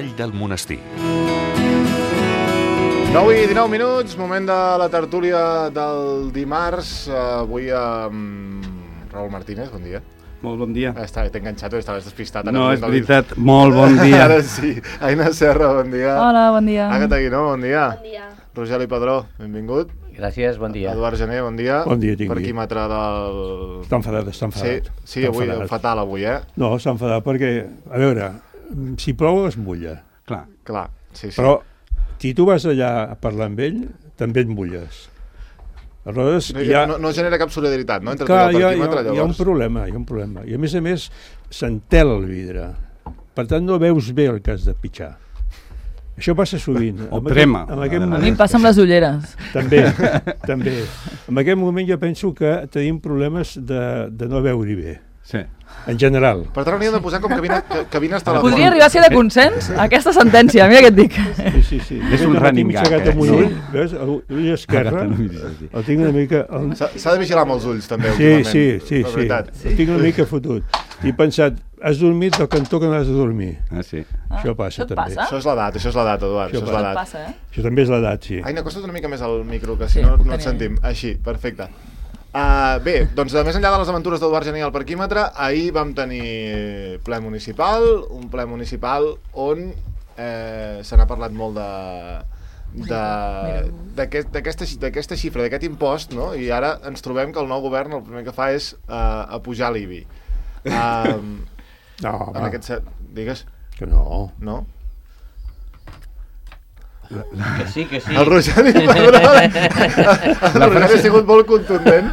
Vall del Monestir. 9:19, moment de la tertúlia del dimarts. Avui amb Raúl Martínez, bon dia. Molt bon dia. T'he enganxat, estaves despistat. No, és veritat, molt bon dia. Ara sí. Aina Serra, bon dia. Hola, bon dia. Agatha Guinó, bon dia. Bon dia. Rogeli Padró, benvingut. Gràcies, bon dia. Eduard Gené, bon dia. Bon dia, tingui. Parquímetre del... Està enfadat. Sí, avui, fatal avui, No, està enfadat perquè, a veure, si plou es mulla. Clar, sí. Però si tu vas allà a parlar amb ell, també et mulles. Aleshores, no genera cap solidaritat, no? Entre clar, tu i el parquímetre, llavors. Hi ha un problema. I a més, s'entela el vidre. Per tant, no veus bé el cas de pitjar. Això passa sovint. O crema. A mi em passa amb les ulleres. També. En aquest moment jo penso que tenim problemes de no veure bé. Sí. En general. Per tant, hauríem de posar com cabines telefòniques. Podria arribar a ser de consens aquesta sentència, mira què et dic. Sí. És un running gag, Veus? L'ull esquerre el tinc una mica... S'ha de vigilar amb els ulls, també, últimament. Sí. El tinc una mica fotut. I he pensat, has dormit del cantó que no has de dormir. Sí. Això passa, també. Això és l'edat, Eduard. Això és l'edat. Passa, Això també és l'edat, sí. Aina, acosta't una mica més al micro, que si no et sentim. Així, perfecte. Bé, doncs més enllà de les aventures d'Eduard Gené al parquímetre, ahir vam tenir ple municipal, un ple municipal on se n'ha parlat molt d'aquesta xifra, d'aquest impost, no? I ara ens trobem que el nou govern el primer que fa és apujar l'IBI. No, digues? Que no. No? Que sí. El Rogeli ha sigut molt contundent.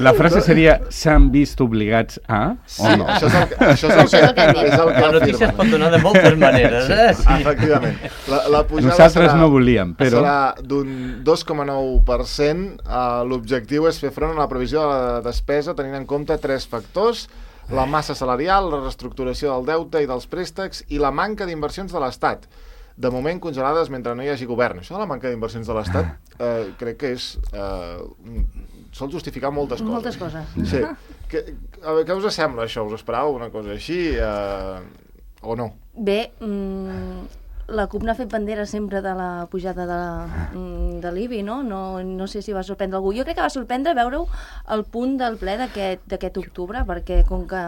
La frase seria, s'han vist obligats a... Sí, no? Això és el que hem dit. La notícia es pot donar de moltes maneres, Sí. Efectivament. La pujada nosaltres no volíem, però... serà d'un 2,9%. L'objectiu és fer front a la previsió de la despesa tenint en compte 3 factors: la massa salarial, la reestructuració del deute i dels préstecs i la manca d'inversions de l'Estat, de moment congelades mentre no hi hagi govern. Això de la manca d'inversions de l'Estat crec que és... sol justificar moltes coses. Moltes coses. Sí. Què us sembla això? Us esperàveu una cosa així o no? Bé, la CUP n'ha fet bandera sempre de la pujada de l'IBI, no? No sé si va sorprendre algú. Jo crec que va sorprendre veure-ho al punt del ple d'aquest octubre, perquè com que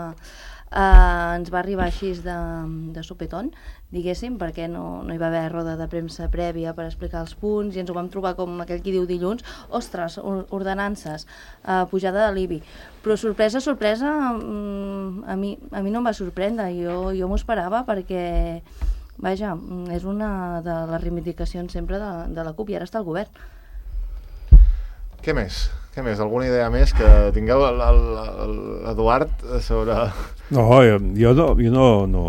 ens va arribar així de sopetón, diguéssim, perquè no hi va haver roda de premsa prèvia per explicar els punts i ens ho vam trobar com aquell qui diu dilluns, ostres, ordenances, pujada de l'IBI. Però sorpresa, a mi no em va sorprendre, jo m'ho esperava perquè, vaja, és una de les reivindicacions sempre de la CUP i ara està al govern. Què més? Alguna idea més que tingueu l'Eduard sobre... No, jo no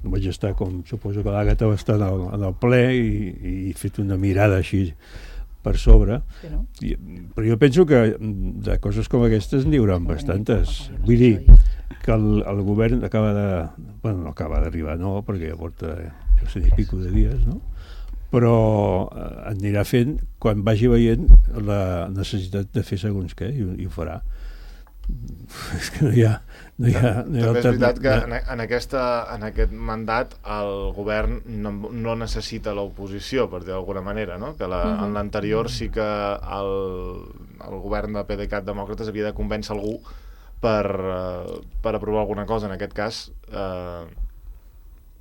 vaig estar, com suposo que l'Àgata va estar en el ple i he fet una mirada així per sobre. Sí, no? Però jo penso que de coses com aquestes n'hi haurà bastantes. Vull dir que el govern acaba de... Bueno, no acaba d'arribar, no, perquè ja porta, jo sé, i pico de dies, no? Però anirà fent quan vagi veient la necessitat de fer segons què i ho farà. És que no hi ha també és veritat que en aquest mandat el govern no necessita l'oposició, per dir d'alguna manera, no? Que en l'anterior sí que el govern de PDeCAT Demòcrates havia de convèncer algú per aprovar alguna cosa. En aquest cas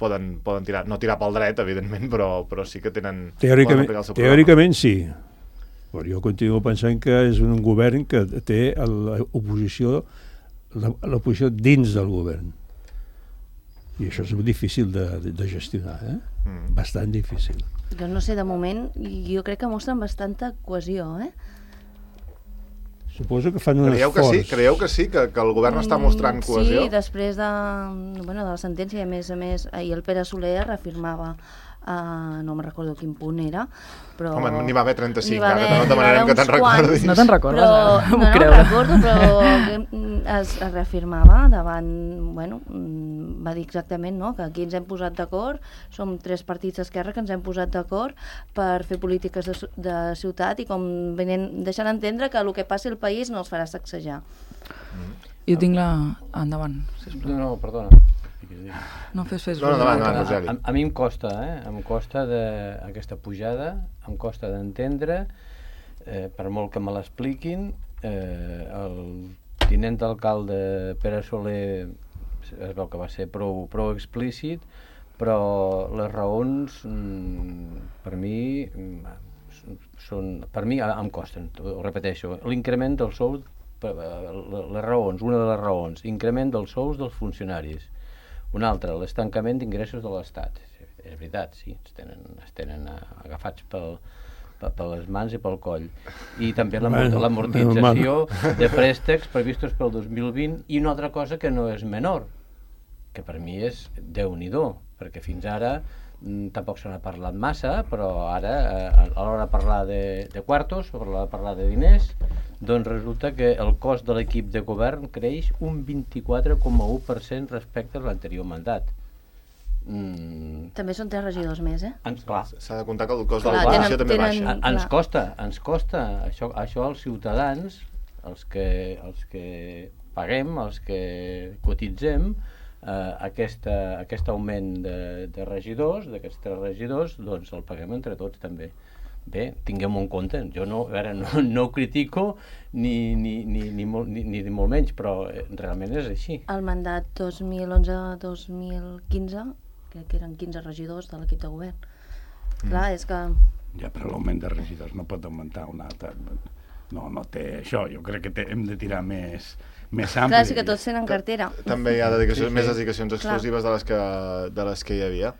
poden tirar, no tirar pel dret, evidentment, però sí que tenen... Teòricament sí. Però jo continuo pensant que és un govern que té l'oposició dins del govern. I això és difícil de gestionar, bastant difícil. Jo no sé, de moment, jo crec que mostren bastanta cohesió, Suposo que fan un esforç. Creieu que sí, que el govern està mostrant cohesió? Sí, després de la sentència, a més, ahir el Pere Soler reafirmava, no me'n recordo quin punt era, però... Home, n'hi va haver 35, ara no demanarem que te'n recordis. No te'n recordes, no me'n recordo, però es reafirmava davant, va dir exactament, no?, que aquí ens hem posat d'acord, som 3 partits d'esquerra que ens hem posat d'acord per fer polítiques de ciutat i com deixant entendre que el que passi al país no els farà sacsejar. Jo tinc la... Endavant, sisplau. No, perdona. No fes. No, endavant, Roseli. A mi em costa, em costa aquesta pujada, em costa d'entendre, per molt que me l'expliquin, el tinent d'alcalde Pere Soler es veu que va ser prou explícit, però les raons per mi em costen, ho repeteixo. L'increment del sou, les raons, una de les raons, increment dels sous dels funcionaris. Una altra, l'estancament d'ingressos de l'Estat. És veritat, sí, es tenen agafats per les mans i pel coll. I també l'amortització de préstecs previstos pel 2020 i una altra cosa que no és menor, que per mi és Déu-n'hi-do, perquè fins ara tampoc se n'ha parlat massa, però ara a l'hora de parlar de quartos, a l'hora de parlar de diners, doncs resulta que el cost de l'equip de govern creix un 24,1% respecte a l'anterior mandat. També són 3 regidors més, Clar. S'ha de comptar que el cost de l'oposició també baixa. Ens costa. Això als ciutadans, els que paguem, els que cotitzem, aquest augment de regidors, d'aquests 3 regidors, doncs el paguem entre tots també. Bé, tinguem-ho en compte. Jo no ho critico ni molt menys, però realment és així. El mandat 2011-2015, crec que eren 15 regidors de l'equip de govern. Clar, és que... Ja, però l'augment de regidors no pot augmentar un altre. No té això. Jo crec que hem de tirar més ampli. Clar, sí que tots tenen cartera. També hi ha més dedicacions exclusives de les que hi havia.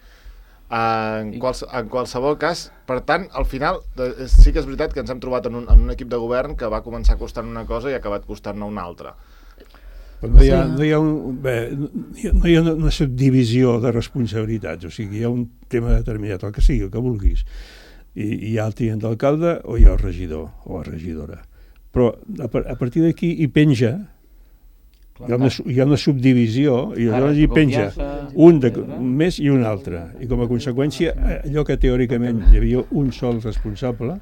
En qualsevol cas, per tant, al final sí que és veritat que ens hem trobat en un equip de govern que va començar costant una cosa i ha acabat costant-ne una altra. No hi ha una subdivisió de responsabilitats, o sigui, hi ha un tema determinat, el que sigui, el que vulguis. I hi ha el tinent d'alcalde o hi ha el regidor o la regidora. Però a partir d'aquí hi penja, hi ha una subdivisió i llavors hi penja un més i un altre. I com a conseqüència, allò que teòricament hi havia un sol responsable,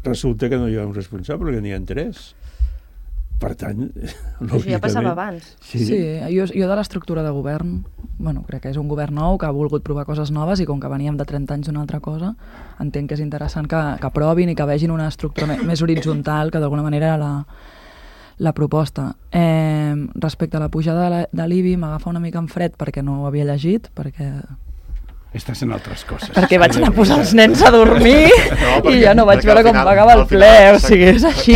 resulta que no hi ha un responsable, que n'hi ha 3. Per tant, això ja passava abans. Sí, jo de l'estructura de govern, crec que és un govern nou que ha volgut provar coses noves i com que veníem de 30 anys d'una altra cosa, entenc que és interessant que provin i que vegin una estructura més horitzontal que d'alguna manera era la proposta. Respecte a la pujada de l'IBI m'agafa una mica en fred perquè no ho havia llegit, perquè Estàs en altres coses. Perquè vaig anar a posar els nens a dormir i ja no vaig veure com pagava el ple, o sigui, és així.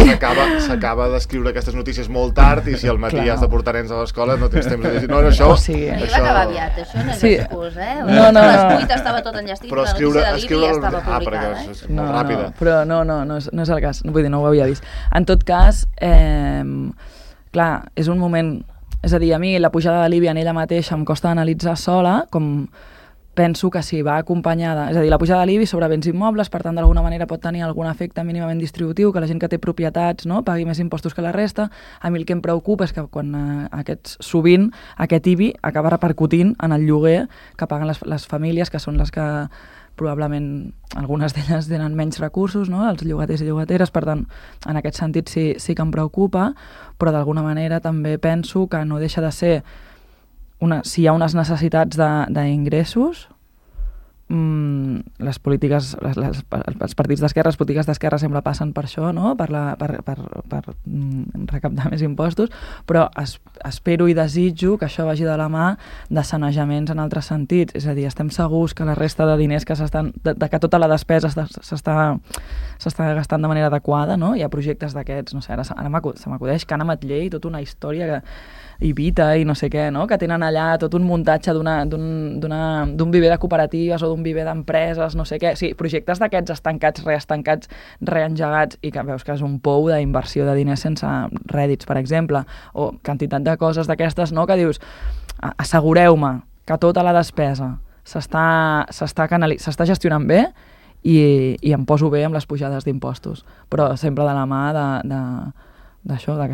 S'acaba d'escriure aquestes notícies molt tard i si al matí has de portar nens a l'escola no tens temps de dir, no, això... O sigui, va acabar aviat, això no és excus, No. A les 8 estava tot enllestit, però la notícia de l'IBI ja estava publicada, perquè és molt ràpida. Però no és el cas, vull dir, no ho havia vist. En tot cas, clar, és un moment... És a dir, a mi la pujada de l'IBI en ella mateixa em costa analitzar sola, com... penso que si va acompanyada, és a dir, la pujada de l'IBI sobre béns immobles, per tant, d'alguna manera pot tenir algun efecte mínimament distributiu, que la gent que té propietats pagui més impostos que la resta. A mi el que em preocupa és que quan sovint aquest IBI acaba repercutint en el lloguer que paguen les famílies, que són les que probablement algunes d'elles tenen menys recursos, els llogaters i llogateres, per tant, en aquest sentit sí que em preocupa, però d'alguna manera també penso que no deixa de ser si hi ha unes necessitats d'ingressos, les polítiques, els partits d'esquerra, les polítiques d'esquerra sempre passen per això, per recaptar més impostos, però espero i desitjo que això vagi de la mà de sanejaments en altres sentits. És a dir, estem segurs que la resta de diners que que tota la despesa s'està gastant de manera adequada, Hi ha projectes d'aquests, no sé, ara se m'acudeix Can Ametller i tota una història Ibita i no sé què, que tenen allà tot un muntatge d'un viver de cooperatives o d'un viver d'empreses, no sé què. Sí, projectes d'aquests estancats, reestancats, reengegats i que veus que és un pou d'inversió de diners sense rèdits, per exemple, o quantitat de coses d'aquestes, que dius, assegureu-me que tota la despesa s'està gestionant bé i em poso bé amb les pujades d'impostos, però sempre de la mà d'això, que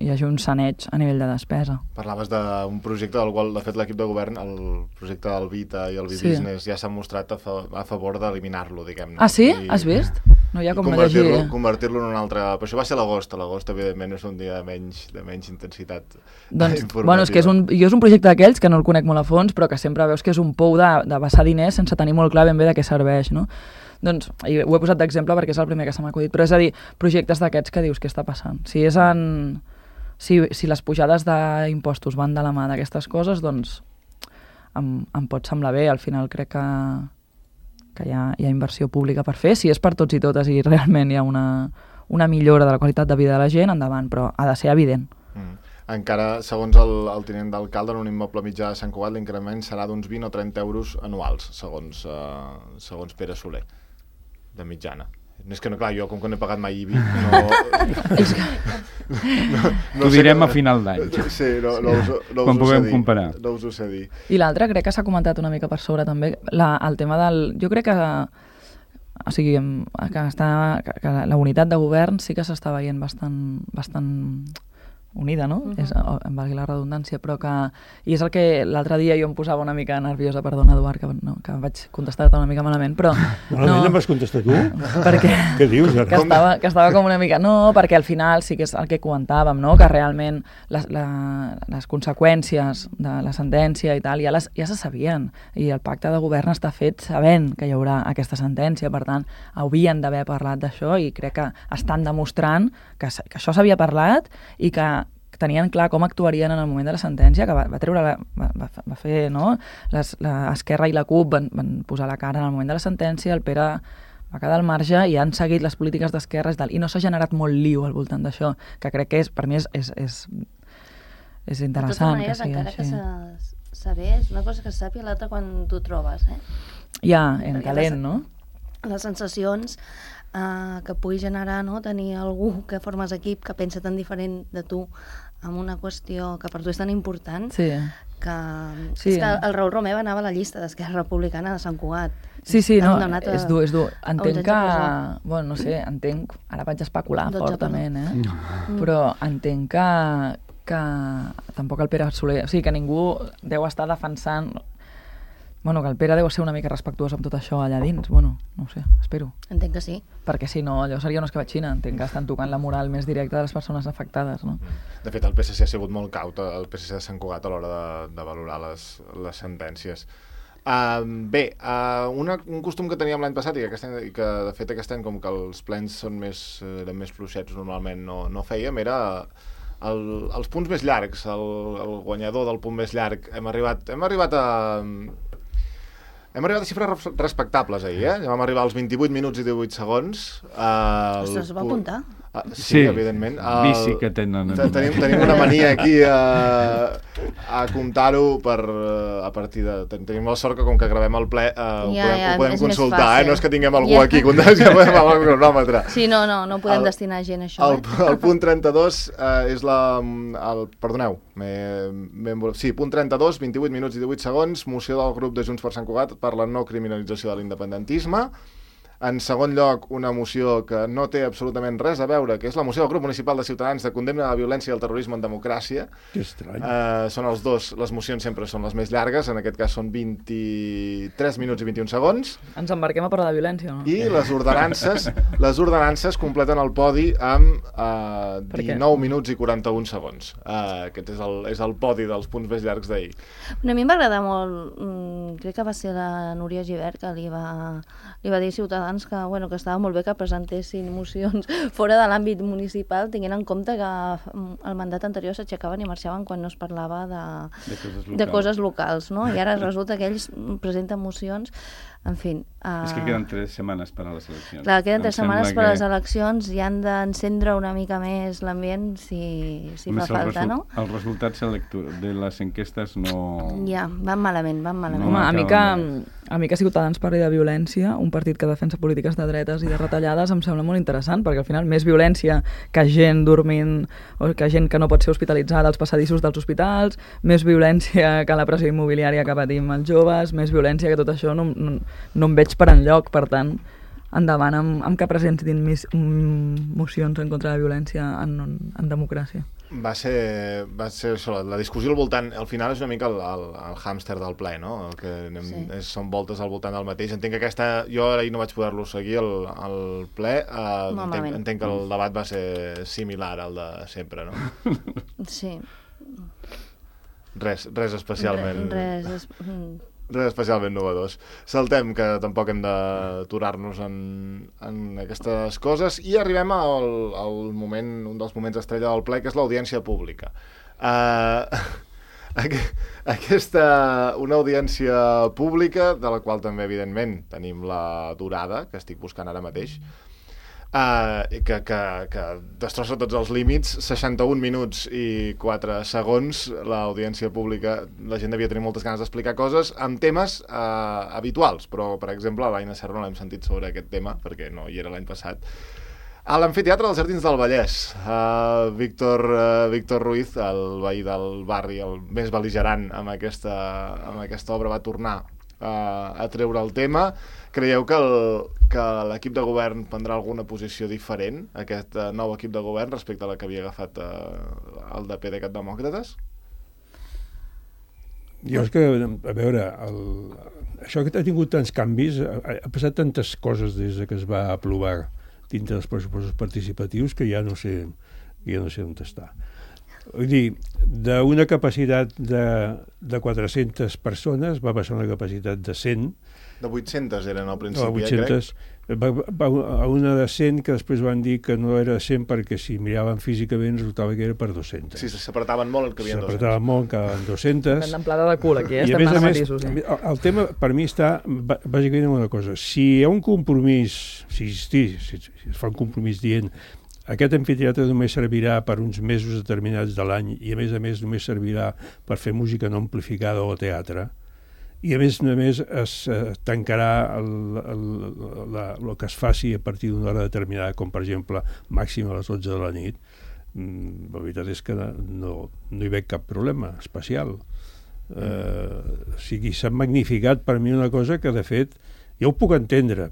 hi hagi un saneig a nivell de despesa. Parlaves d'un projecte del qual, de fet, l'equip de govern, el projecte del Vita i el B-Business, ja s'ha mostrat a favor d'eliminar-lo, diguem-ne. Ah, sí? Has vist? No hi ha I com llegir. convertir-lo en un altre... Però això va ser a l'agost, evidentment és un dia de menys intensitat Doncs, informativa. bueno, és que és un projecte d'aquells que no el conec molt a fons, però que sempre veus que és un pou de vessar diners sense tenir molt clar ben bé de què serveix, no? Doncs, i ho he posat d'exemple perquè és el primer que se m'ha acudit, però és a dir, projectes d'aquests que dius què està passant. Si les pujades d'impostos van de la mà d'aquestes coses, doncs em pot semblar bé. Al final crec que hi ha inversió pública per fer. Si és per tots i totes i realment hi ha una millora de la qualitat de vida de la gent, endavant, però ha de ser evident. Encara, segons el tinent d'alcalde, en un immoble mitjà de Sant Cugat, l'increment serà d'uns 20 o 30 euros anuals, segons Pere Soler, de mitjana. És que no, clar, jo com que no he pagat mai IBI, Ho direm a final d'any. Sí, no quan puguem comparar. No us ho sé dir. I l'altre, crec que s'ha comentat una mica per sobre també, el tema del... Jo crec que la unitat de govern sí que s'està veient bastant unida, no? Em valgui la redundància, però que... I és el que l'altre dia jo em posava una mica nerviosa, perdona, Eduard, que vaig contestar-te una mica malament, però... Malament em vas contestar tu? Perquè... Què dius, ara? Que estava com una mica... No, perquè al final sí que és el que comentàvem, no? Que realment les conseqüències de la sentència i tal ja se sabien, i el pacte de govern està fet sabent que hi haurà aquesta sentència, per tant, haurien d'haver parlat d'això, i crec que estan demostrant que això s'havia parlat i que tenien clar com actuarien en el moment de la sentència, que va fer, no? L'Esquerra i la CUP van posar la cara en el moment de la sentència, el Pere va quedar al marge i han seguit les polítiques d'esquerres i no s'ha generat molt liu al voltant d'això, que crec que per mi és interessant. De totes maneres, encara que sabés, una cosa que se sàpiga, l'altra quan t'ho trobes, Ja, en calent, no? Les sensacions que pugui generar, no? Tenir algú que formes equip, que pensa tan diferent de tu amb una qüestió que per tu és tan important, sí. És que el Raül Romeva anava a la llista d'Esquerra Republicana de Sant Cugat. Sí, no, és dur. Entenc que... Bueno, no sé, ara vaig especular fortament, però entenc que tampoc el Pere Soler... O sigui, que ningú deu estar defensant... Bueno, que el Pere deu ser una mica respectuós amb tot això allà dins. Bueno, no ho sé, espero. Entenc que sí. Perquè si no, allò seria una escabatxina. Entenc que estan tocant la moral més directa de les persones afectades, no? De fet, el PSC ha sigut molt caut, el PSC de Sant Cugat, a l'hora de valorar les sentències. Un costum que teníem l'any passat i que de fet aquest any, com que els plens eren més fluixets, normalment no fèiem, era els punts més llargs, el guanyador del punt més llarg. Hem arribat a xifres respectables ahir, Vam arribar als 28 minuts i 18 segons. Ostres, es va apuntar? Sí, evidentment. Vici que tenen. Tenim una mania aquí a comptar-ho a partir de... Tenim la sort que com que gravem el ple ho podem consultar, no és que tinguem algú aquí que podem amb el cronòmetre. Sí, no podem destinar gent a això. El punt 32 és perdoneu, punt 32, 28 minuts i 18 segons, moció del grup de Junts per Sant Cugat per la no criminalització de l'independentisme. En segon lloc, una moció que no té absolutament res a veure, que és la moció del grup municipal de Ciutadans de condemna a la violència i el terrorisme en democràcia. Que estrany. Són els dos, les mocions sempre són les més llargues, en aquest cas són 23 minuts i 21 segons. Ens embarquem a parlar de violència, no? I les ordenances completen el podi amb 19 minuts i 41 segons. Aquest és el podi dels punts més llargs d'ahir. A mi em va agradar molt, crec que va ser la Núria Gibert que li va dir a Ciutadans que estava molt bé que presentessin mocions fora de l'àmbit municipal, tenint en compte que el mandat anterior s'aixecaven i marxaven quan no es parlava de coses locals, no? I ara resulta que ells presenten mocions, en fi... És que queden 3 setmanes per a les eleccions. Clar, queden 3 setmanes per a les eleccions i han d'encendre una mica més l'ambient si fa falta, no? Els resultats de les enquestes no... Ja, van malament. Home, a mi que Ciutadans parli de violència, un partit que defensa polítiques de dretes i de retallades, em sembla molt interessant, perquè al final més violència que gent dormint o que gent que no pot ser hospitalitzada als passadissos dels hospitals, més violència que la pressió immobiliària que patim els joves, més violència que tot això no em veig per enlloc, per tant, endavant amb que presentin mocions en contra de la violència en democràcia. Va ser això, la discussió al voltant, al final és una mica el hàmster del ple, no? El que són voltes al voltant del mateix. Entenc que jo ahir no vaig poder-lo seguir al ple, entenc que el debat va ser similar al de sempre, no? Sí. Res especialment... Res especialment novedós. Saltem, que tampoc hem d'aturar-nos en aquestes coses, i arribem al moment, un dels moments estrella del ple, que és l'audiència pública. Una audiència pública, de la qual també, evidentment, tenim la durada, que estic buscant ara mateix, que destrossa tots els límits, 61 minuts i 4 segons. L'audiència pública, la gent devia tenir moltes ganes d'explicar coses amb temes habituals, però, per exemple, l'Aina Serra no l'hem sentit sobre aquest tema, perquè no hi era l'any passat. A l'Amfiteatre dels Jardins del Vallès, Víctor Ruiz, el veí del barri, el més bel·ligerant amb aquesta obra, va tornar a treure el tema. Creieu que l'equip de govern prendrà alguna posició diferent, aquest nou equip de govern, respecte a la que havia agafat el de PDeCAT Demòcrates? Jo és que, a veure, això que ha tingut tants canvis, ha passat tantes coses des que es va aprovar dintre dels pressupostos participatius que ja no sé on està. Vull dir, d'una capacitat de 400 persones va passar a una capacitat de 100. De 800 eren al principi, 800, va a una de 100, que després van dir que no era 100 perquè si miraven físicament resultava que era per 200. Sí, s'apretaven molt en que havien 200. S'apretaven molt en que havien 200. Una amplada de cul aquí, estem anant a matisos. El tema per mi està bàsicament en una cosa. Si hi ha un compromís, si es fa un compromís dient aquest amfiteatre només servirà per uns mesos determinats de l'any i a més només servirà per fer música no amplificada o teatre, i a més només es tancarà el que es faci a partir d'una hora determinada, com per exemple màxim a les 12 de la nit. La veritat és que no hi veig cap problema especial. O sigui, s'ha magnificat per mi una cosa que, de fet, jo ho puc entendre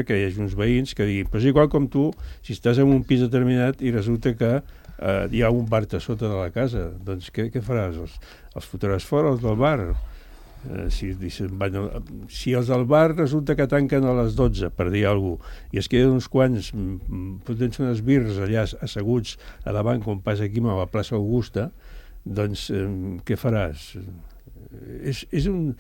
que hi hagi uns veïns que diguin, però és igual com tu, si estàs en un pis determinat i resulta que hi ha un bar a sota de la casa, doncs què faràs? Els fotràs fora, els del bar? Si els del bar resulta que tanquen a les 12, per dir alguna cosa, i es queden uns quants fotent unes birres allà asseguts a davant, com passa aquí a la plaça Augusta, doncs què faràs? És un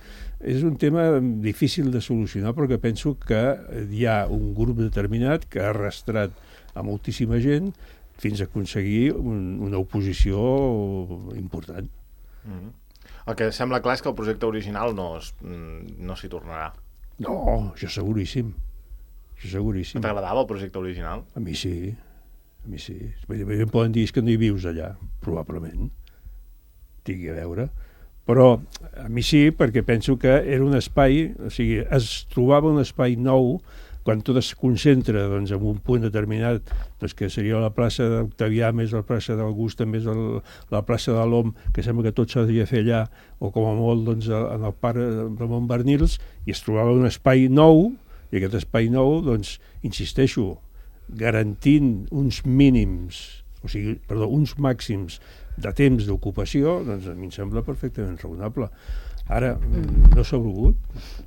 tema difícil de solucionar, perquè penso que hi ha un grup determinat que ha arrastrat a moltíssima gent fins a aconseguir una oposició important. El que sembla clar és que el projecte original no s'hi tornarà. No, això seguríssim. T'agradava el projecte original? A mi sí. Em poden dir que no hi vius allà, probablement. Tingui a veure. Però a mi sí, perquè penso que era un espai, o sigui, es trobava un espai nou quan tot es concentra doncs, en un punt determinat, doncs, que seria la plaça d'Octavià més la plaça d'Augusta més la plaça de l'Om, que sembla que tot s'ha de fer allà, o com a molt doncs, en el parc de Montbernils, i es trobava un espai nou, i aquest espai nou, doncs, insisteixo, garantint uns màxims de temps d'ocupació, doncs a mi em sembla perfectament raonable. Ara, no s'ha volgut.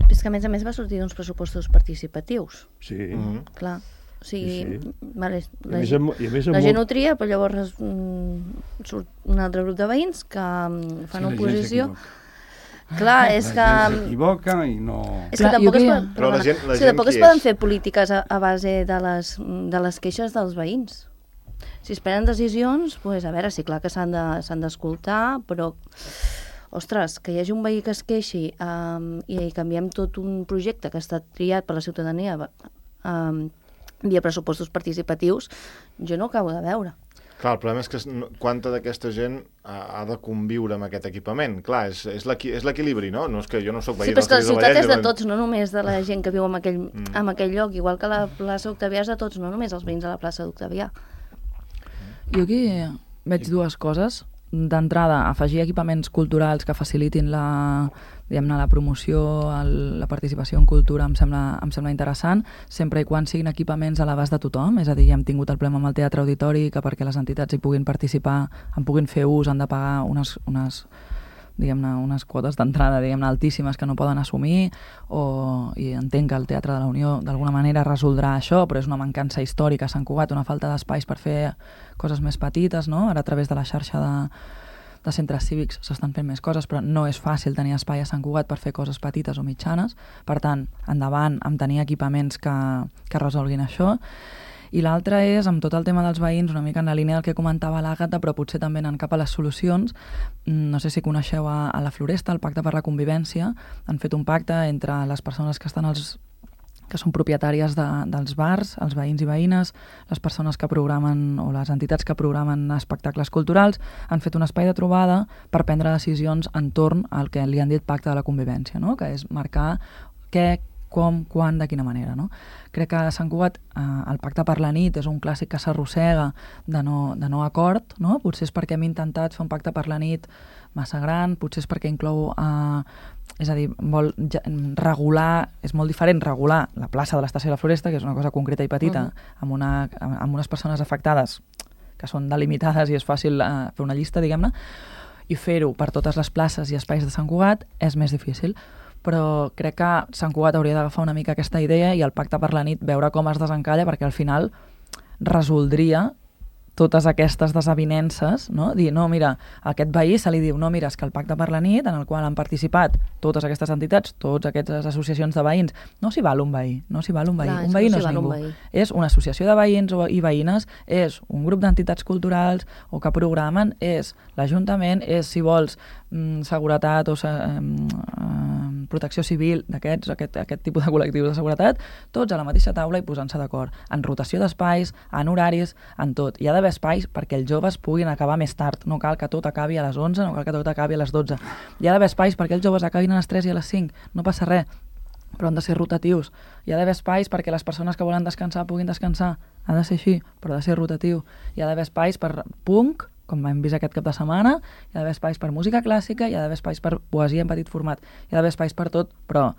És que a més va sortir d'uns pressupostos participatius. Sí. Clar. O sigui, sí. Vale, la gent ho tria, però llavors surt un altre grup de veïns que fan oposició. Clar, és que... s'equivoca i no... És que tampoc es poden fer polítiques a base de les queixes dels veïns. Si es prenen decisions, doncs, a veure, sí, clar que s'han d'escoltar, però, ostres, que hi hagi un veí que es queixi i canviem tot un projecte que ha estat triat per la ciutadania via pressupostos participatius, jo no ho acabo de veure. Clar, el problema és que quanta d'aquesta gent ha de conviure amb aquest equipament. Clar, és l'equilibri, no? No és que jo no soc veí dels Jardins del Vallès. Sí, però és que la ciutat és de tots, no només de la gent que viu en aquell lloc, igual que la plaça Octavià és de tots, no només els veïns de la plaça d'Octavià. Jo aquí veig dues coses. d'entrada, afegir equipaments culturals que facilitin la promoció, la participació en cultura em sembla interessant, sempre i quan siguin equipaments a l'abast de tothom, és a dir, ja hem tingut el problema amb el Teatre Auditori, que perquè les entitats hi puguin participar, en puguin fer ús, han de pagar unes quotes d'entrada altíssimes que no poden assumir, i entenc que el Teatre de la Unió d'alguna manera resoldrà això, però és una mancança històrica a Sant Cugat, una falta d'espais per fer coses més petites, no? Ara a través de la xarxa de centres cívics s'estan fent més coses, però no és fàcil tenir espai a Sant Cugat per fer coses petites o mitjanes, per tant, endavant amb tenir equipaments que resolguin això. I l'altre és, amb tot el tema dels veïns, una mica en la línia del que comentava l'Àgata, però potser també anant cap a les solucions. No sé si coneixeu a la Floresta, el Pacte per la Convivència. Han fet un pacte entre les persones que són propietàries dels bars, els veïns i veïnes, les persones que programen o les entitats que programen espectacles culturals, han fet un espai de trobada per prendre decisions entorn al que li han dit Pacte de la Convivència, no? Que és marcar què, com, quan, de quina manera, no? Crec que a Sant Cugat el Pacte per la nit és un clàssic que s'arrossega de no acord, no? Potser és perquè hem intentat fer un pacte per la nit massa gran, potser és perquè inclou, és a dir, vol regular, és molt diferent regular la plaça de l'Estació de la Floresta, que és una cosa concreta i petita, amb unes persones afectades que són delimitades i és fàcil fer una llista, diguem-ne, i fer-ho per totes les places i espais de Sant Cugat és més difícil. Però crec que Sant Cugat hauria d'agafar una mica aquesta idea i el Pacte per la nit veure com es desencalla, perquè al final resoldria totes aquestes desavinences, no? Dir, no, mira, a aquest veí se li diu, no, mira, és que el Pacte per la nit, en el qual han participat totes aquestes entitats, totes aquestes associacions de veïns, no s'hi val un veí, no s'hi val un veí. Clar, un veí no és ningú. És una associació de veïns i veïnes, és un grup d'entitats culturals o que programen, és l'Ajuntament, és, si vols, seguretat o protecció civil d'aquests, aquest tipus de col·lectius de seguretat, tots a la mateixa taula i posant-se d'acord, en rotació d'espais, en horaris, en tot. Hi ha d'haver espais perquè els joves puguin acabar més tard, no cal que tot acabi a les 11, no cal que tot acabi a les 12. Hi ha d'haver espais perquè els joves acabin a les 3 i a les 5, no passa res, però han de ser rotatius. Hi ha d'haver espais perquè les persones que volen descansar puguin descansar, ha de ser així, però ha de ser rotatiu. Hi ha d'haver espais per punk, com hem vist aquest cap de setmana, hi ha d'haver espais per música clàssica, hi ha d'haver espais per poesia en petit format, hi ha d'haver espais per tot, però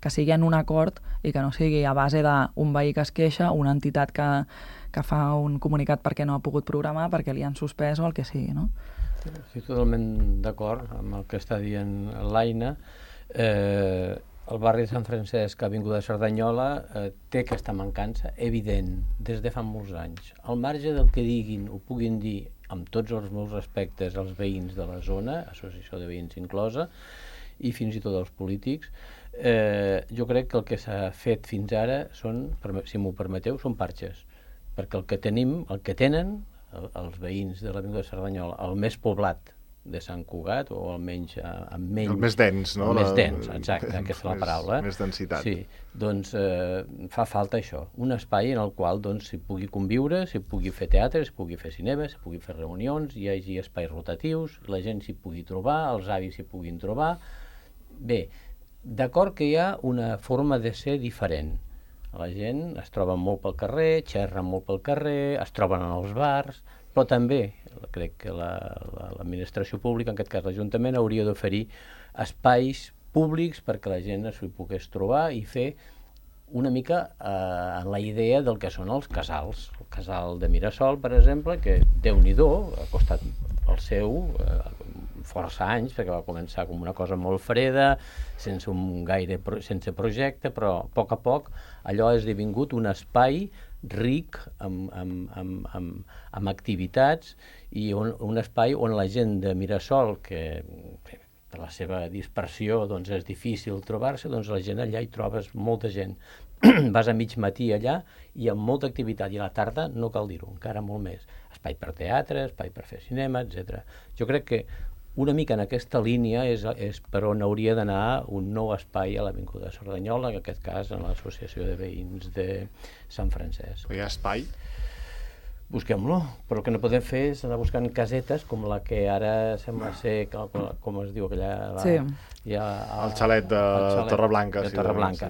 que sigui en un acord i que no sigui a base d'un veí que es queixa, una entitat que fa un comunicat perquè no ha pogut programar, perquè li han suspès o el que sigui, no? Estic totalment d'acord amb el que està dient l'Aina. El barri de Sant Francesc, Avinguda de Cerdanyola, té aquesta mancança evident des de fa molts anys. Al marge del que diguin o puguin dir, amb tots els meus respectes als veïns de la zona, associació de veïns inclosa, i fins i tot als polítics, jo crec que el que s'ha fet fins ara són, si m'ho permeteu, són parxes, perquè el que tenen els veïns de l'Avinguda de Cerdanyola, el més poblat de Sant Cugat, o almenys amb menys... El més dens, no? El més dens, exacte, aquesta és la paraula. Més densitat. Sí, doncs fa falta això, un espai en el qual s'hi pugui conviure, s'hi pugui fer teatre, s'hi pugui fer cinema, s'hi pugui fer reunions, hi hagi espais rotatius, la gent s'hi pugui trobar, els avis s'hi puguin trobar. Bé, d'acord que hi ha una forma de ser diferent. La gent es troba molt pel carrer, xerra molt pel carrer, es troben en els bars, però també crec que l'administració pública, en aquest cas l'Ajuntament, hauria d'oferir espais públics perquè la gent s'hi pogués trobar i fer una mica en la idea del que són els casals. El casal de Mirasol, per exemple, que Déu-n'hi-do, ha costat el seu força anys, perquè va començar com una cosa molt freda, sense projecte, però a poc allò ha esdevingut un espai ric amb activitats i un espai on la gent de Mirasol, que per la seva dispersió és difícil trobar-se, la gent allà hi trobes molta gent. Vas a mig matí allà i amb molta activitat, i a la tarda no cal dir-ho, encara molt més. Espai per teatre, espai per fer cinema, etc. Jo crec que una mica en aquesta línia és per on hauria d'anar un nou espai a l'Avinguda de Cerdanyola, en aquest cas en l'Associació de Veïns de Sant Francesc. Hi ha espai? busquem-lo, però el que no podem fer és anar buscant casetes com la que ara sembla ser, com es diu aquella... Sí. El xalet de Torreblanca. De Torreblanca.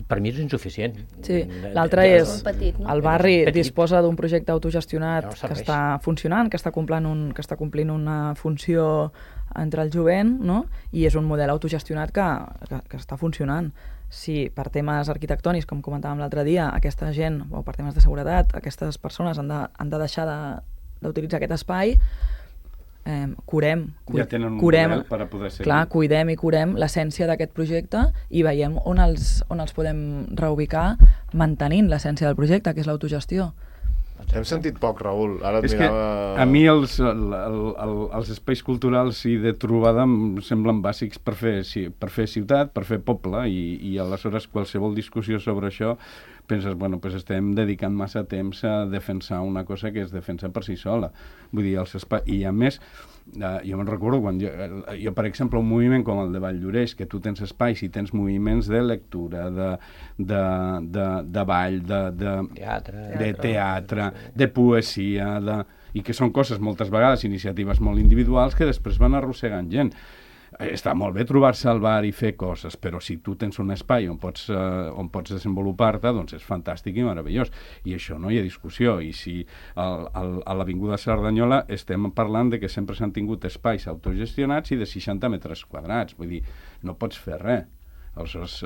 Per mi és insuficient. Sí, l'altre és... petit, no? El barri Petit. disposa d'un projecte autogestionat No que serveix. està funcionant, que està complint una funció entre el jovent, no? I és un model autogestionat que està funcionant. Si per temes arquitectònics, com comentàvem l'altre dia, aquesta gent, o per temes de seguretat, aquestes persones han de deixar d'utilitzar aquest espai, curem Ja tenen un model per a poder seguir. Clar, cuidem i curem l'essència d'aquest projecte i veiem on els podem reubicar mantenint l'essència del projecte, que és l'autogestió. Hem sentit poc, Raül. Ara et És que mirava... a mi els espais culturals i de trobada em semblen bàsics per fer ciutat, per fer poble, i aleshores qualsevol discussió sobre això penses, bueno, pues estem dedicant massa temps a defensar una cosa que es defensa per si sola. Vull dir, els espais... I a més, jo me'n recordo quan jo, per exemple, un moviment com el de Valldoreix, que tu tens espais i tens moviments de lectura, de ball, de teatre, de poesia, i que són coses moltes vegades, iniciatives molt individuals que després van arrossegant gent. Està molt bé trobar-se al bar i fer coses, però si tu tens un espai on pots desenvolupar-te, doncs és fantàstic i meravellós. I això no hi ha discussió. I si a l'Avinguda Cerdanyola estem parlant de que sempre s'han tingut espais autogestionats i de 60 metres quadrats. Vull dir, no pots fer res. Aleshores,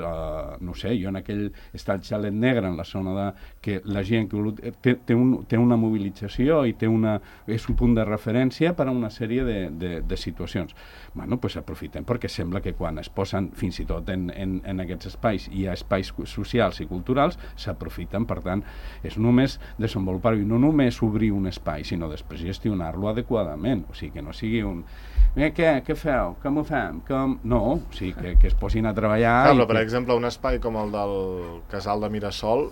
no sé, jo en aquell està el xalet negre en la zona de que la gent que té una mobilització i és un punt de referència per a una sèrie de situacions. Bueno, doncs aprofitem, perquè sembla que quan es posen fins i tot en aquests espais hi ha espais socials i culturals, s'aprofiten. Per tant, és només desenvolupar-ho i no només obrir un espai, sinó després gestionar-lo adequadament. O sigui, que no sigui un... Què feu? Com ho fem? No, o sigui, que es posin a treballar. Clar, però, per exemple, un espai com el del Casal de Mirasol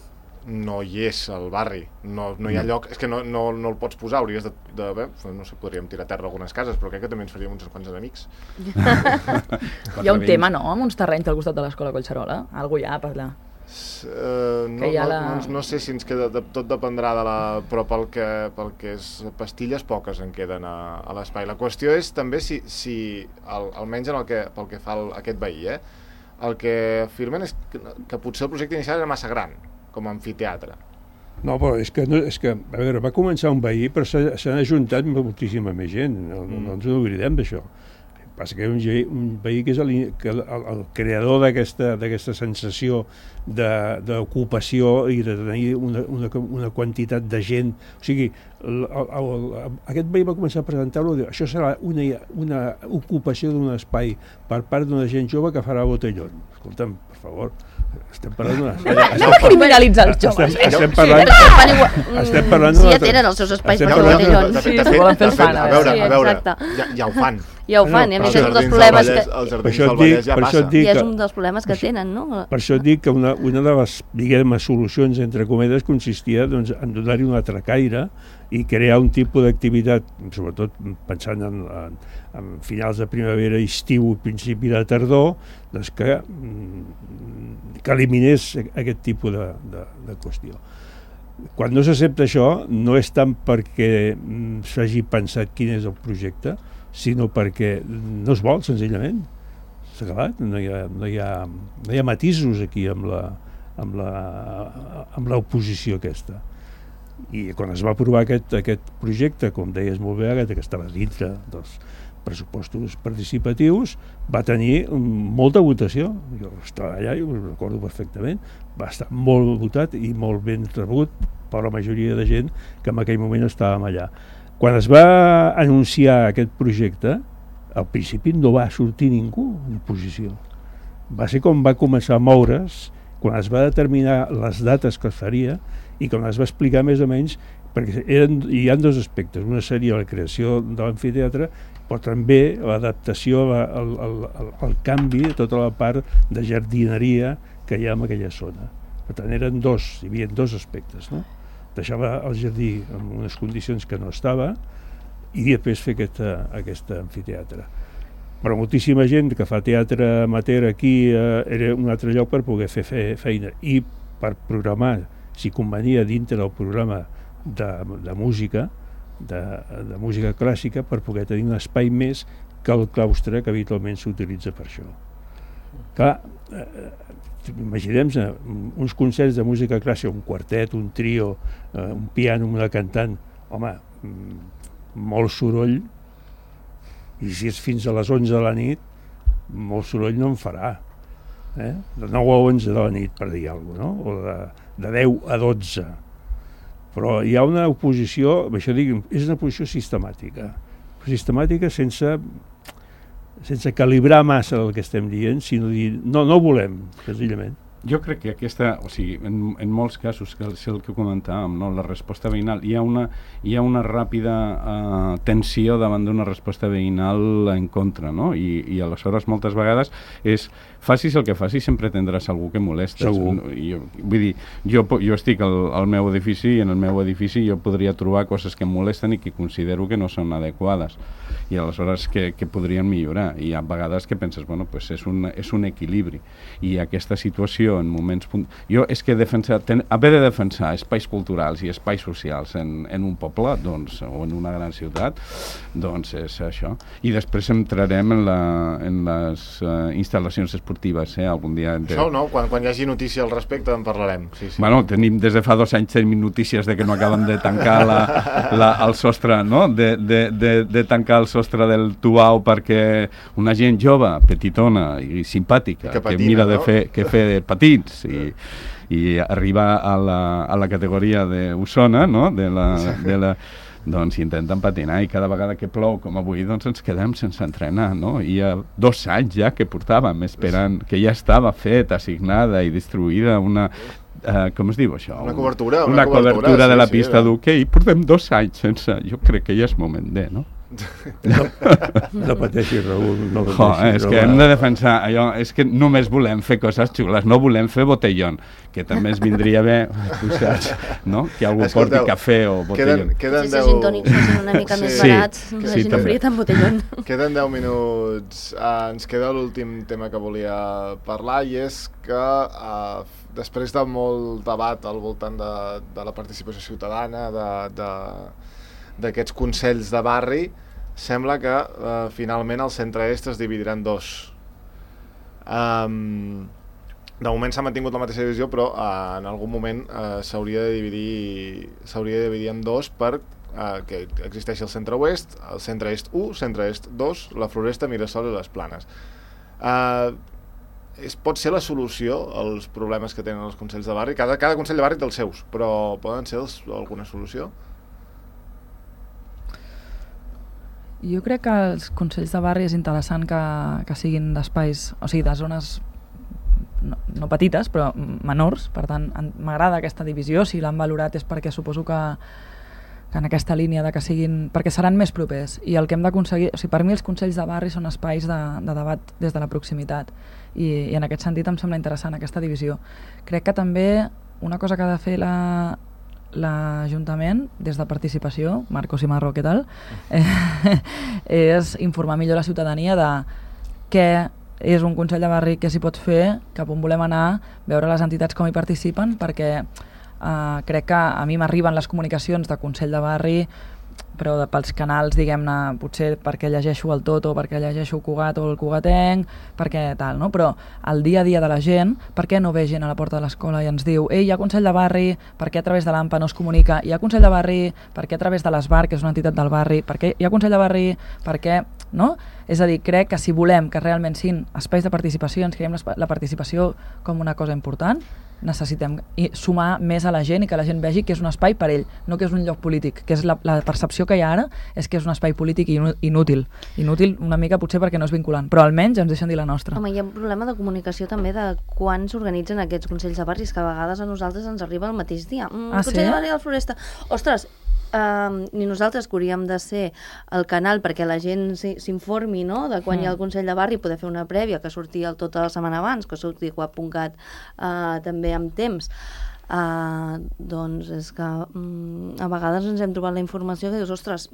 no hi és al barri, no hi ha lloc, és que no el pots posar, hauries de no sé, podríem tirar a terra algunes cases, però crec que també ens faríem uns quants enemics. Hi ha un tema, no?, amb uns terrenys al costat de l'escola Collserola, algú hi ha per allà. No sé si ens queda, tot dependrà però pel que és pastilles poques en queden a l'espai. La qüestió és també si almenys pel que fa aquest veí, el que afirmen és que potser el projecte inicial era massa gran com a amfiteatre. No, però és que a veure, va començar un veí, però s'han ajuntat moltíssima més gent, no ens oblidem d'això. Passa que un veí que és el creador d'aquesta sensació d'ocupació i de tenir una quantitat de gent. O sigui, aquest veí va començar a presentar-lo, això serà una ocupació d'un espai per part d'una gent jove que farà botellón. Escolta'm, per favor, estem parlant No criminalitzar els joves. Estem parlant... Si ja tenen els seus espais per fer botellons. Sí, se volen fer el fan. A veure, ja ho fan. Ja ho fan, i a més és un dels problemes que... Els jardins del Vallès ja passa. I és un dels problemes que tenen, no? Per això et dic que una de les, diguem, solucions, entre cometes, consistia en donar-hi un altre caire i crear un tipus d'activitat, sobretot pensant en finals de primavera, estiu i principi de tardor, doncs que eliminés aquest tipus de qüestió. Quan no s'accepta això, no és tant perquè s'hagi pensat quin és el projecte, sinó perquè no es vol, senzillament. S'ha acabat, no hi ha matisos aquí amb l'oposició aquesta. I quan es va aprovar aquest projecte, com deies molt bé, que estava dintre dels pressupostos participatius, va tenir molta votació. Jo estava allà i ho recordo perfectament. Va estar molt votat i molt ben rebut per la majoria de gent que en aquell moment estàvem allà. Quan es va anunciar aquest projecte, al principi no va sortir ningú en oposició. Va ser com va començar a moure's, quan es va determinar les dates que es faria i quan es va explicar més o menys, perquè hi ha dos aspectes. Una seria la creació de l'amfiteatre, però també l'adaptació al canvi de tota la part de jardineria que hi ha en aquella zona. Per tant, hi havia dos aspectes, no? Deixava el jardí en unes condicions que no estava i després fer aquest amfiteatre. Però moltíssima gent que fa teatre amateur aquí era un altre lloc per poder fer feina i per programar, si convenia dintre del programa de música, de música clàssica, per poder tenir un espai més que el claustre que habitualment s'utilitza per això. Clar, imaginem-se uns concerts de música clàssica, un quartet, un trio, un piano, una cantant, home, molt soroll, i si és fins a les 11 de la nit, molt soroll no en farà. De 9 a 11 de la nit, per dir alguna cosa, no? O de 10 a 12. Però hi ha una oposició, això dic, és una oposició sistemàtica sense calibrar massa el que estem dient, sinó dir, no volem, senzillament. Jo crec que aquesta, o sigui, en molts casos, que és el que comentàvem, no? La resposta veïnal, hi ha una ràpida tensió davant d'una resposta veïnal en contra, no? I aleshores moltes vegades facis el que facis, sempre tindràs algú que molesta. Vull dir, jo estic al meu edifici i en el meu edifici jo podria trobar coses que em molesten i que considero que no són adequades i aleshores que podrien millorar. I hi ha vegades que penses, bueno, pues és un equilibri. I aquesta situació en moments... Jo és que haver de defensar espais culturals i espais socials en un poble, doncs, o en una gran ciutat, doncs és això. I després entrarem en les instal·lacions esportives, algun dia... Això no, quan hi hagi notícia al respecte en parlarem. Sí. Bueno, des de fa 2 anys tenim notícies de que no acaben de tancar el sostre, no? De tancar el sostre del Tuau perquè una gent jove, petitona i simpàtica, que mira de fer patins i arribar a la categoria d'Osona, no? Doncs intenten patinar i cada vegada que plou, com avui, doncs ens quedem sense entrenar, no? I hi ha 2 anys ja que portàvem esperant, que ja estava feta, assignada i distribuïda una... com es diu això? Una cobertura. Una cobertura de la pista d'hoquei. Portem 2 anys sense... Jo crec que ja és moment de, no? No pateixis, Raül, no pateixis. És que hem de defensar allò, és que només volem fer coses xules, no volem fer botellón, que també ens vindria bé, no? Que algú porti cafè o botellón. Si els gintònics fossin una mica més barats, la gent oferia tant botellón. Queden 10 minuts. Ens queda l'últim tema que volia parlar i és que després de molt debat al voltant de la participació ciutadana, d'aquests consells de barri, sembla que finalment el centre-est es dividirà en 2. De moment s'ha mantingut la mateixa divisió, però en algun moment s'hauria de dividir en 2 per que existeixi el centre-oest, el centre-est 1, centre-est 2, la Floresta, Mirasol i les Planes. Pot ser la solució als problemes que tenen els consells de barri? Cada consell de barri té els seus, però poden ser alguna solució? Jo crec que els consells de barri és interessant que siguin d'espais, o sigui, de zones no petites, però menors. Per tant, m'agrada aquesta divisió. Si l'han valorat és perquè suposo que en aquesta línia de que siguin... perquè seran més propers. I el que hem d'aconseguir... O sigui, per mi els consells de barri són espais de debat des de la proximitat. I en aquest sentit em sembla interessant aquesta divisió. Crec que també una cosa que ha de fer l'Ajuntament, des de participació, Marcos i Marro, què tal? És informar millor la ciutadania de què és un consell de barri, què s'hi pot fer, cap on volem anar, veure les entitats com hi participen, perquè crec que a mi m'arriben les comunicacions de consell de barri, però pels canals, diguem-ne, potser perquè llegeixo el Toto, perquè llegeixo el Cugat o el Cugatenc, perquè tal, no? Però el dia a dia de la gent, per què no ve gent a la porta de l'escola i ens diu hi ha consell de barri, per què a través de l'AMPA no es comunica, hi ha consell de barri, per què a través de l'ESBAR, que és una entitat del barri, per què hi ha consell de barri, per què, no? És a dir, crec que si volem que realment siguin espais de participació, ens creiem la participació com una cosa important, necessitem sumar més a la gent i que la gent vegi que és un espai per ell, no que és un lloc polític, que és la percepció que hi ha ara és que és un espai polític inútil una mica potser perquè no és vinculant, però almenys ens deixen dir la nostra. Home, hi ha un problema de comunicació també de quan s'organitzen aquests consells de barris, que a vegades a nosaltres ens arriba el mateix dia. Consell de barri de la Floresta. Ostres, ni nosaltres que hauríem de ser el canal perquè la gent s'informi, no?, de quan hi ha el Consell de Barri, poder fer una prèvia que surti tota la setmana abans, que surti Cugat.cat també amb temps. Doncs és que a vegades ens hem trobat la informació que dius, ostres,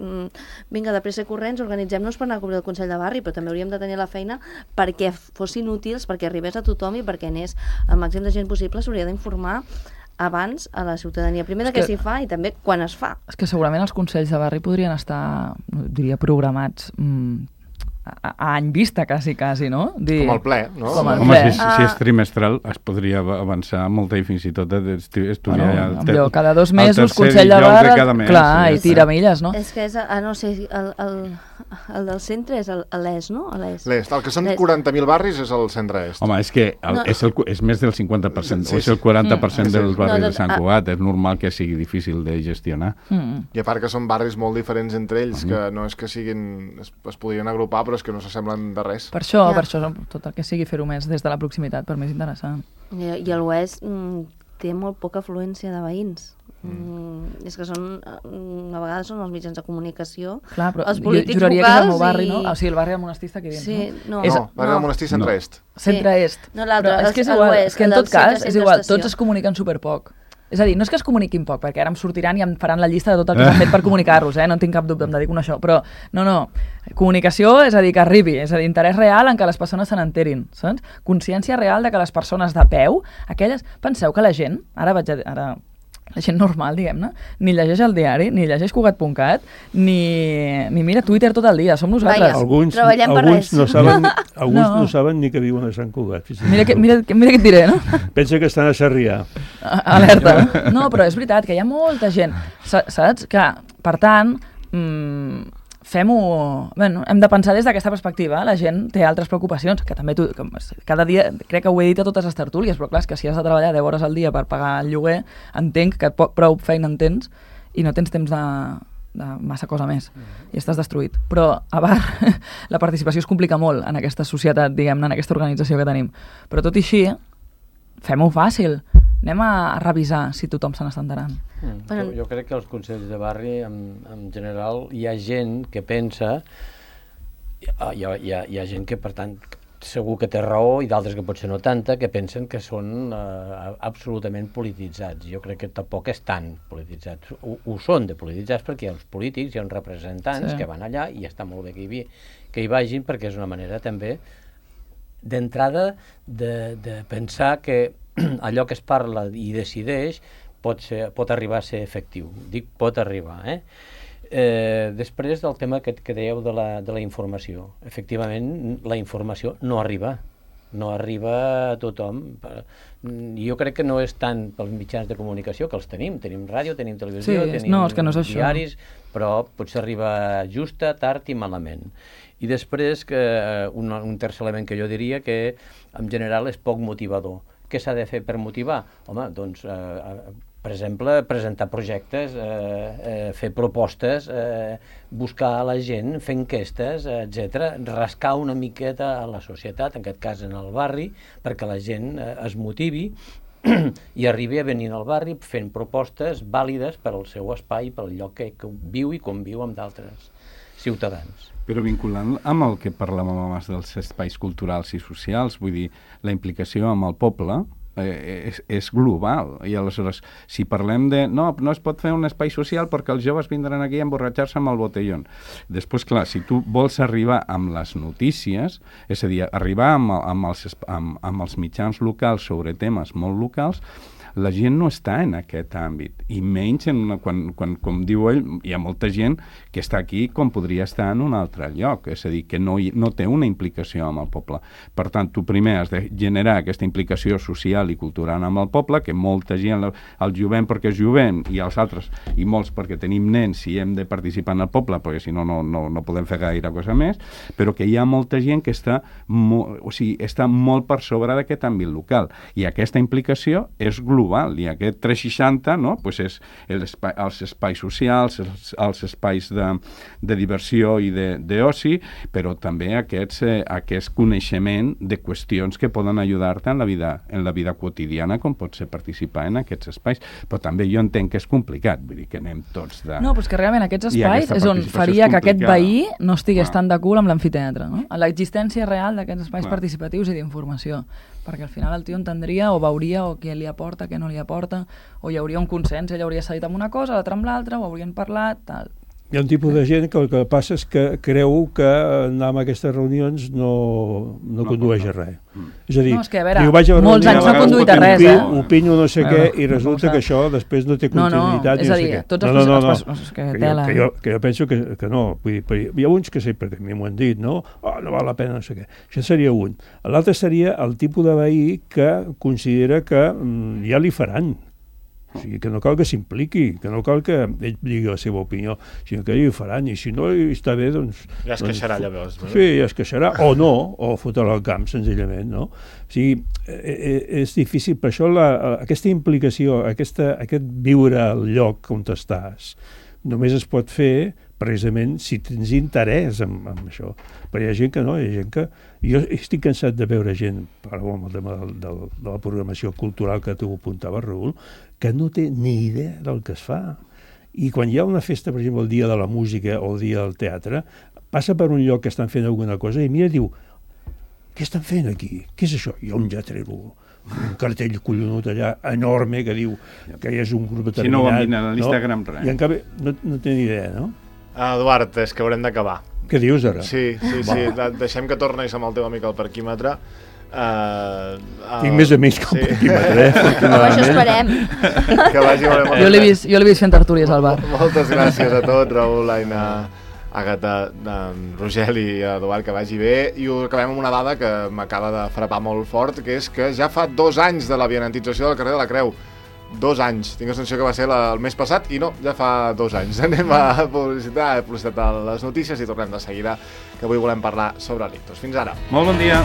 vinga, de pressa i corrents, organitzem-nos per anar a cobrir el Consell de Barri, però també hauríem de tenir la feina perquè fossin útils, perquè arribés a tothom i perquè anés el màxim de gent possible. S'hauria d'informar abans a la ciutadania. Primer de què s'hi fa i també quan es fa. És que segurament els consells de barri podrien estar, diria, programats a any vista, quasi, no? Com el ple, no? Com el Home, ple. si és trimestral es podria avançar molt i fins i tot estudiar Allò, cada 2 mesos, el tercer Consell de dijous Barri, cada mes, clar, sí, i tira milles, no? És que és, no sé, el del centre és l'ES, no? L'est. El que són L'est. 40.000 barris és el centre-est. Home, és que No. és més del 50%, Sí, o és el 40% Sí. dels barris No, de Sant Cugat, és normal que sigui difícil de gestionar. I a part que són barris molt diferents entre ells, que no és que siguin... Es podrien agrupar, però és que no s'assemblen de res. Per això, Ja. per això, tot el que sigui fer-ho més des de la proximitat, per més interessant. I l'Oest té molt poca afluència de veïns. És que són, a vegades són els mitjans de comunicació, Clar, però els jo polítics juraria que és el meu locals barri, i... no? O sigui, el barri del Monestir està aquí dins, Sí, no? no. És- No, barri del Monestir centre-est. Centre-est. No, l'altre, Però és que és el igual, oest, és que en el del tot cas, centre, és igual, centre-estació. tots es comuniquen superpoc. És a dir, no és que es comuniquin poc, perquè ara em sortiran i em faran la llista de tot el que s'ha fet per comunicar-los, no en tinc cap dubte, em dedico a això, però no, comunicació és a dir, que arribi, és a dir, interès real en què les persones se n'enterin, saps? Consciència real de que les persones de peu, aquelles, penseu que la gent, ara la gent normal, diguem-ne, ni llegeix el diari, ni llegeix Cugat.cat, ni mira Twitter tot el dia, som nosaltres. Vaja. Alguns Treballem per res. no saben, alguns No. no saben ni que viuen a Sant Cugat. Mira què et diré, no? Pensa que estan a Sarrià. Alerta. No, però és veritat que hi ha molta gent, saps? Que, per tant, fem-ho... Bueno, hem de pensar des d'aquesta perspectiva. La gent té altres preocupacions, que també cada dia, crec que ho he dit a totes les tertúlies, però clar, és que si has de treballar 10 hores al dia per pagar el lloguer, entenc que prou feina en tens i no tens temps de massa cosa més i estàs destruït. Però a Bar la participació es complica molt en aquesta societat, diguem-ne, en aquesta organització que tenim. Però tot i així, fem-ho fàcil. Anem a revisar si tothom se n'està enterant. Bueno. Jo crec que als consells de barri, en general, hi ha gent que pensa, hi ha gent que, per tant, segur que té raó, i d'altres que potser no tanta, que pensen que són absolutament polititzats. Jo crec que tampoc és tan polititzats. Ho són de polititzats perquè hi ha uns polítics, hi ha uns representants que van allà i està molt bé que hi vagin, perquè és una manera també d'entrada de pensar que allò que es parla i decideix pot arribar a ser efectiu. Dic pot arribar, després del tema que dèieu de la informació. Efectivament, la informació no arriba a tothom. Jo crec que no és tant pels mitjans de comunicació, que els tenim ràdio, tenim televisió, tenim és que no és això. diaris, però potser arriba justa, tard i malament. I després, un tercer element que jo diria que en general és poc motivador. Què s'ha de fer per motivar? Home, doncs, per exemple, presentar projectes, fer propostes, buscar a la gent, fer enquestes, etc. Rascar una miqueta a la societat, en aquest cas en el barri, perquè la gent es motivi i arribi a venir al barri fent propostes vàlides per al seu espai, pel lloc que viu i conviu amb d'altres ciutadans. Però vinculant amb el que parlàvem abans dels espais culturals i socials, vull dir, la implicació amb el poble és global. I aleshores, si parlem de... No es pot fer un espai social perquè els joves vindran aquí a emborratxar-se amb el botellón. Després, clar, si tu vols arribar amb les notícies, és a dir, arribar amb els mitjans locals sobre temes molt locals, la gent no està en aquest àmbit, i menys quan, com diu ell, hi ha molta gent que està aquí com podria estar en un altre lloc, és a dir, que no té una implicació amb el poble. Per tant, tu primer has de generar aquesta implicació social i cultural amb el poble, que molta gent el jovent perquè és jovent, i els altres, i molts perquè tenim nens i hem de participar en el poble, perquè si no podem fer gaire cosa més, però que hi ha molta gent que està molt per sobre d'aquest àmbit local, i aquesta implicació és global, i aquest 360 pues és els espais socials, els espais de diversió i d'oci, però també aquest coneixement de qüestions que poden ajudar-te en la vida quotidiana, com pot ser participar en aquests espais. Però també jo entenc que és complicat, vull dir que anem tots de... No, però és que realment aquests espais és on faria que aquest veí no estigués tan de cul amb l'amfiteatre, no? L'existència real d'aquests espais participatius i d'informació, perquè al final el tio entendria o veuria o què li aporta, què no li aporta, o hi hauria un consens, ell hauria cedit amb una cosa, l'altre amb l'altra, o haurien parlat, tal. Hi ha un tipus de gent que el que passa és que creu que anar a aquestes reunions no condueix a res. És a dir, No, és que, a veure, diu, vaig a la molts reunió, anys no ha conduït a res, opino no sé què, i no resulta ho que sap. això després no té continuïtat. és i a no sé dir, què. tots els és que tela. Que jo penso que no. Vull dir, hi ha uns que sí, perquè a mi m'ho han dit, no? No val la pena, no sé què. Això seria un. L'altre seria el tipus de veí que considera que ja li faran. O sigui, que no cal que s'impliqui, que no cal que ell digui la seva opinió, sinó que ell ho faran, i si no està bé, doncs... Ja es queixarà, llavors. No? Sí, ja es queixarà, o no, o fotrà al camp, senzillament, no? O sigui, és difícil, per això aquesta implicació, aquest viure al lloc on estàs, només es pot fer precisament si tens interès en això. Però hi ha gent que no, hi ha gent que... Jo estic cansat de veure gent, parlo amb el tema de la programació cultural que tu apuntaves, Raül, que no té ni idea del que es fa. I quan hi ha una festa, per exemple, el dia de la música o el dia del teatre, passa per un lloc que estan fent alguna cosa i mira i diu, què estan fent aquí? Què és això? I un ja treu un cartell collonut allà enorme que diu que hi és un grup determinat. Si no ho han vist a l'Instagram, res. I en canvi no té ni idea, no? Eduard, és que haurem d'acabar. Què dius ara? Sí. Deixem que tornis amb el teu amic al parquímetre. Tinc més amics que el parquímetre, Això esperem. Que vagi molt bé. Jo l'he vist fent tertúlies al bar. Moltes gràcies a tots, Raül, Aina, Àgata, Rogel i Eduard, que vagi bé. I ho acabem amb una dada que m'acaba de frapar molt fort, que és que ja fa 2 anys de la vianantització del carrer de la Creu. 2 anys. Tinc la sensació que va ser el mes passat i no, ja fa 2 anys. Anem a publicitat a les notícies i tornem de seguida, que avui volem parlar sobre l'ictus. Fins ara. Molt bon dia.